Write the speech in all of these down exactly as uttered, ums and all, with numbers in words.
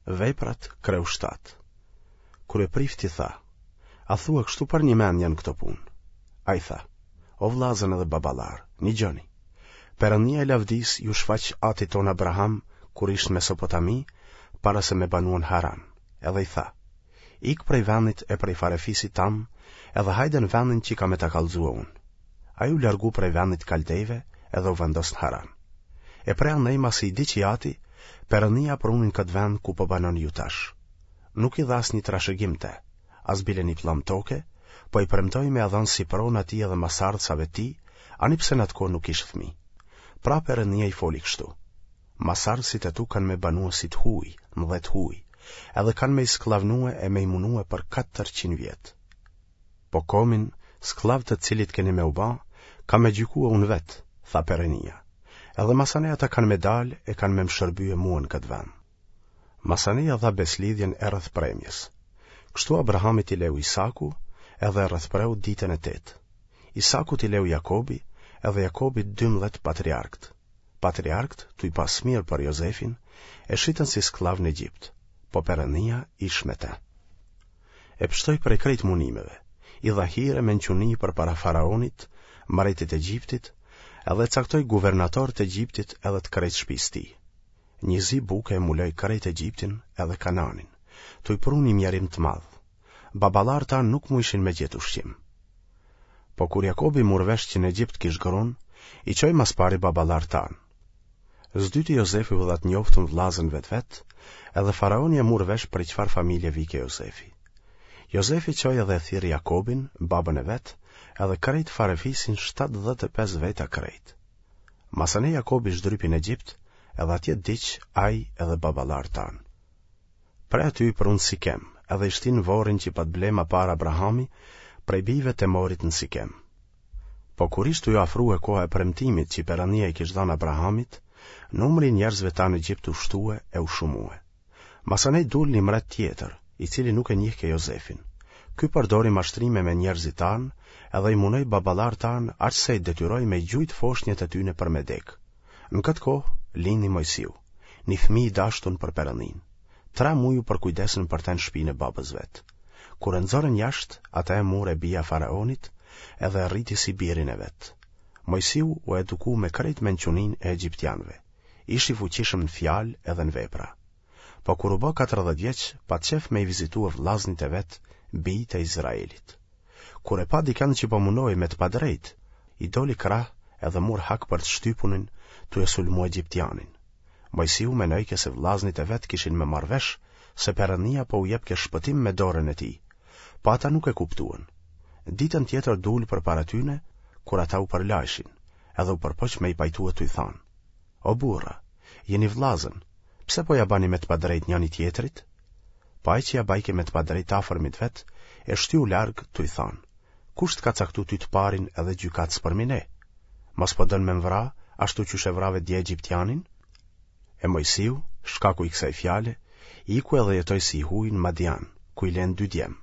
Veprat, kreu shtatë. Kryeprifti tha, A thua kështu përnjëmend janë këto punë? Ai tha, O vllazën edhe baballarë, nigjoni. Perëndia e lavdisë iu shfaq atit tonë Abraham kur ish në Mesopotami, para se me banue në Haran, edhe i tha, Ik prej vendit e prej farefisit tam, edhe hajde në vendin që kam me ta kallzue unë. Ai u largu prej vendit Kaldejve edhe u vendos në Haran. E prej andej masi i vdiq i ati, Perëndia e pruni në këtë vend ku po banoni ju tash. Nuk i dha asnjë trashëgim te, as bile një pllëmbë toke, po i premtoi me ia dhënë si pronë atij edhe masardhësave të tij, ani pse në atë kohë nuk kish fëmijë. Pra Perëndia i foli kështu: Masardhësit e tu kanë me banue si të huj, në dhe të huj, edhe kanë me i skllavnue e me i munue për katërqind vjet. Po komin, skllav të cilit keni me u ba, kam me gjykue unë vetë, tha Perënia. Edhe masanej ata kanë me dalë e kanë me më shërbye mua në këtë vend. Masanej ia dha beslidhjen e rrethpremjes. Kështu Abrahamit i leu Isaku, edhe e rrethpreu ditën e tetë. Isakut i leu Jakobi, edhe Jakobi dymbëdhjetë patriarkët. Patriarkët, tuj pas mirë për Jozefin, e shitën si skllav në Egjipt, po Perënia ish me te. E pshtoi prej krejt munimeve, i dha hir e mençuni përpara faraonit, mbretit të Egjiptit, edhe e caktoi guvernator të Egjiptit edhe të krejt shtëpisë tij. Një zi buke e mbuloi krejt Egjiptin edhe Kananin, tuj pru një mjerim të madh. Baballarët tanë nuk mujshin me gjetë ushqim. Po kur Jakobi mur vesh që në Egjipt kish grun, i çoi mas pari baballarët tanë. S'dyti Jozefi u dha të njoftun vllazënve të vet, edhe faraoni e mur vesh prej çfarë familje vike Jozefi. Jozefi çoi edhe e thirri Jakobin, babën e vet, edhe krejt farefisin shtatëdhjetë e pesë veta krejt. Masanej Jakobi zhdrypi në Egjipt, edhe atje vdiq ai edhe baballarët tanë. Prej aty i prunë Sikem, edhe i shtinë vorrin që pat ble ma parë Abrahami prej bijve të Emorit në Sikem. Po kur ishte ju afrue koha e premtimit që Perëndia i kish dhënë Abrahamit, numri i njerëzve tanë në Egjipt u shtue e u shumue. Masanej dul një mbret tjetër, i cili nuk e njihke Jozefin. Ky përdori mashtrime me njerëzit tanë, edhe i munoi baballarët tanë aq sa i detyroi me gjujt foshnjet e tyne për me dek. Në këtë kohë lindi Mojsiu, një fëmijë i dashtun për Perëndinë. Tre muj u përkujdesën për të në shtëpinë e babës vet. Kur e nxorën jashtë, ata e mur e bija faraonit, edhe e rriti si birin e vet. Mojsiu u eduku me krejt mençuninë e egjiptianëve. Ish i fuqishëm në fjalë edhe në vepra. Po kur u bë katërdhjetë vjeç, pat qef me i vizitue vllaznit e vet, bijtë e Izraelit. Kur e pa dikënd që po munoi me të padrejtë, i doli krah edhe mur hak për të shtypunin, tu e sulmu egjiptianin. Mojsiu menojke se vllaznit e vet kishin me marrë vesh se Perëndia po u jepke shpëtim me dorën e tij, po ata nuk e kuptuan. Ditën tjetër dul përpara tyne, kur ata u përlajshin, edhe u përpoq me i pajtue tuj thanë: O burra, jeni vllazën, pse po ja bani me të padrejt njëri tjetrit? Po ai që ja bajke me të padrejt afërmit vet, e shtyu larg tuj thanë: Kush të ka caktu ty të parin edhe gjykatës përmi ne? Mos po dën me mvra, ashtu qysh e vrave dje egjiptianin? E Mojsiu, shkaku i kësaj fjale, iku edhe jetoi si i huj në Madian, ku i len dy djem.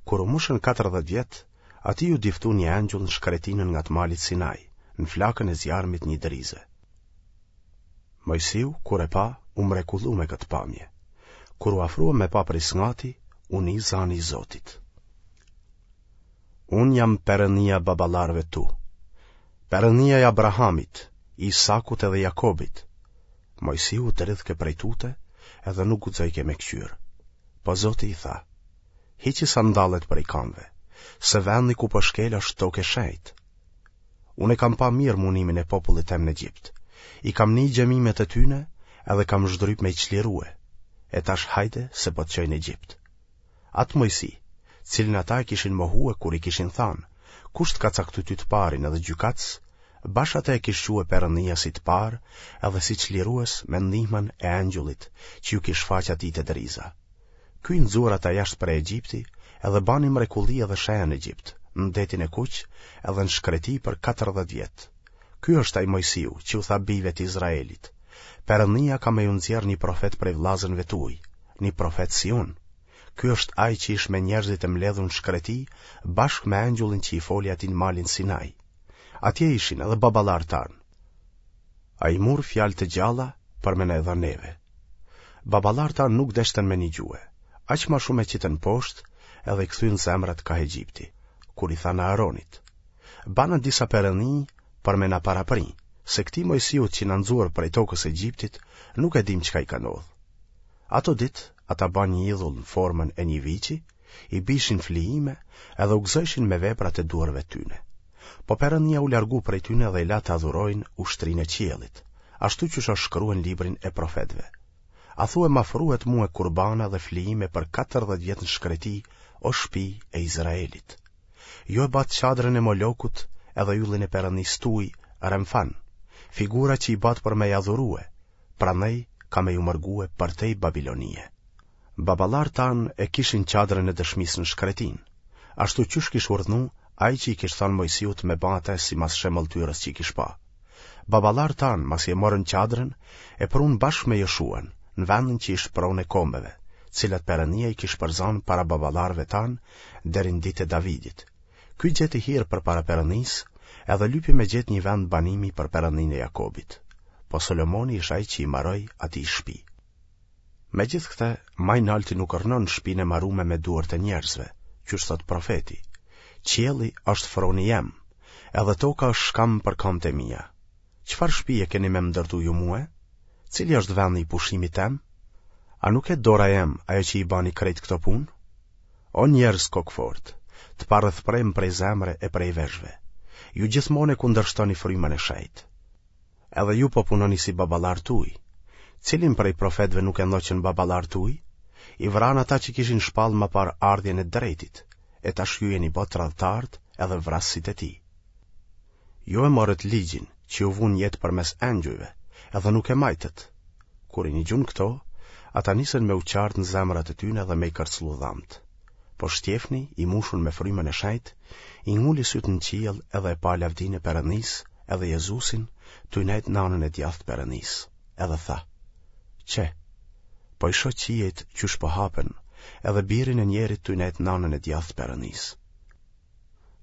Kur u mushën katërdhjetë vjet, atij ju diftu një angjull në shkretinën nga të malit Sinai, në flakën e zjarmit një drize. Mojsiu, kur e pa, u mrekullu me këtë pamje. Kur u afrua me pa prej sngati, u ni zani i Zotit. Unë jam Perëndia baballarëve tu, Perëndia e Abrahamit, Isakut edhe Jakobit. Mojsiu u dridhke prej tute, edhe nuk guxojke me kqyr. Po Zoti i tha: Hiqi sandallet prej kamve, se vendi ku po shkel është tokë e shenjtë. Unë e kam pa mirë munimin e popullit tem në Egjipt. I kam ni gjemimet e tyne, edhe kam zhdryp me i çlirue. E tash hajde se po të çoj në Egjipt. Atë Mojsi, cilin ata e kishin mohue kur i kishin thanë, kush të ka caktu ty të parin edhe gjykatës, bash atë e kish çue Perëndia si të parë edhe si çlirues me ndihmën e angjullit që ju kish shfaq atij te driza. Ky i nxur ata jashtë prej Egjipti edhe bani mrekulli edhe shenja në Egjipt, në detin e Kuq edhe në shkreti për katërdhjetë vjet. Ky është ai Mojsiu që u tha bijve të Izraelit: Perëndia ka me ju nxjerr një profet prej vllazënve tuaj, një profet si unë. Ky është ai që ish me njerëzit e mbledhur në shkreti, bashkë me angjullin që i foli atij në malin Sinai. Atje ishin edhe baballarët tanë. Ai mur fjalë të gjalla për me na e dhënë neve. Baballarët tanë nuk deshtën me nigjue, aq ma shumë e qitën poshtë edhe i kthyen zemrat kah Egjipti, kur i thanë Aaronit, Bana disa perëni për me na parapri, se këtij Moisiut që na nxori prej tokës Egjiptit, nuk e dimë çka i ka ndodhë. Ato ditë, ata banë një idhull në formën e një viçi, i bijshin flijime edhe u gëzojshin me veprat e duarve tyne. Po Perënia u largu prej tyne dhe i la të adhurojnë ushtrinë e qiellit, ashtu qysh është shkrue në librin e profetëve. A thue m'afruet mue kurbana dhe flijime për katërdhjetë vjet në shkreti, o shpi e Izraelit? Ju e batë çadrën e Molokut edhe yllin e perënisë tuj, Remfan, figura që i batë për me i adhurue, prandaj kam me ju mërgue përtej Babilonie. Baballarët tanë e kishin çadrën e dëshmisë në shkretinë, ashtu qysh kish urdhnu ai që i kish thanë Moisiut me ba atë simas shemëlltyrës që kish pa. Baballarët tanë, masi e morën çadrën, e prunë bashkë me Joshuan, në vendin që ish pronë e kombeve, cilat Perënia i kish përzanë para baballarëve tanë deri në ditë e Davidit. Ky gjeti hir përpara Perënisë, edhe lypi me gjetë një vend banimi për Perëndinë e Jakobit. Po Solomoni ish ai që i maroi atij shpi. Megjithëkëtë, ma i nalti nuk rrnon në shpinë e marume me duart e njerëzve, qysh thotë profeti, Qielli është froni jem, edhe toka është shkamb për kamët e mia. Çfarë shpie keni me më ndërtu ju mue? Cili është vendi i pushimit tem? A nuk e dora jem ajo që i bani krejt këto punë? O njerëz kokëfortë, të parrethpremë prej zemre e prej veshëve, ju gjithmonë e kundërshtoni frymën e shenjtë. Edhe ju po punoni si baballarët tuj. Cilin prej profetëve nuk e ndoqën baballarët tuj? I vranë ata që kishin shpallë më parë ardhjen e drejtit, e tash ju jeni bo tradhtarët edhe vrasësit e tij. Ju e morët ligjin që ju vu në jetë përmes engjujve, edhe nuk e majtët. Kur i nigjun këto, ata nisën me u çartë në zemrat e tyne dhe me i kërcëllu dhamtë. Po Shtjefni, i mushun me frymën e shenjtë, i nguli sytë në qiell edhe e pa lavdinë e Perëndisë edhe Jezusin tuj nejt në anën e djathtë Perëndisë, edhe tha: Qe, po i shoh qiejt qysh po hapen, edhe birin e njerit tuj nejt në anën e djathtë Perëndisë.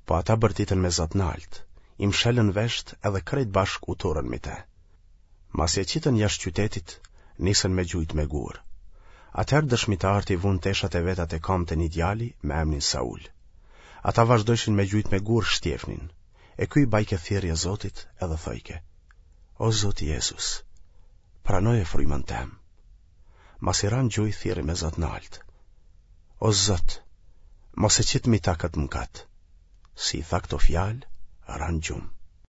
Po ata bërtitën me za të naltë, i mshelën veshët edhe krejt bashkë u turrën mi te. Masi e qitën jashtë qytetit, nisën me gjujt me gurë. Atëherë dëshmitarët i vunë teshat e veta te kamët e një djali me emnin Saul. Ata vazhdojshin me gjujt me gurë Shtjefnin, e ky i bajke thirrje Zotit edhe thojke: O Zot Jezus, pranoje frymën tem. Masi ra në gjuj thirri me za të naltë: O Zot, mos e qit mi ta këtë mëkat. Si i tha këto fjalë, ra në gjumë.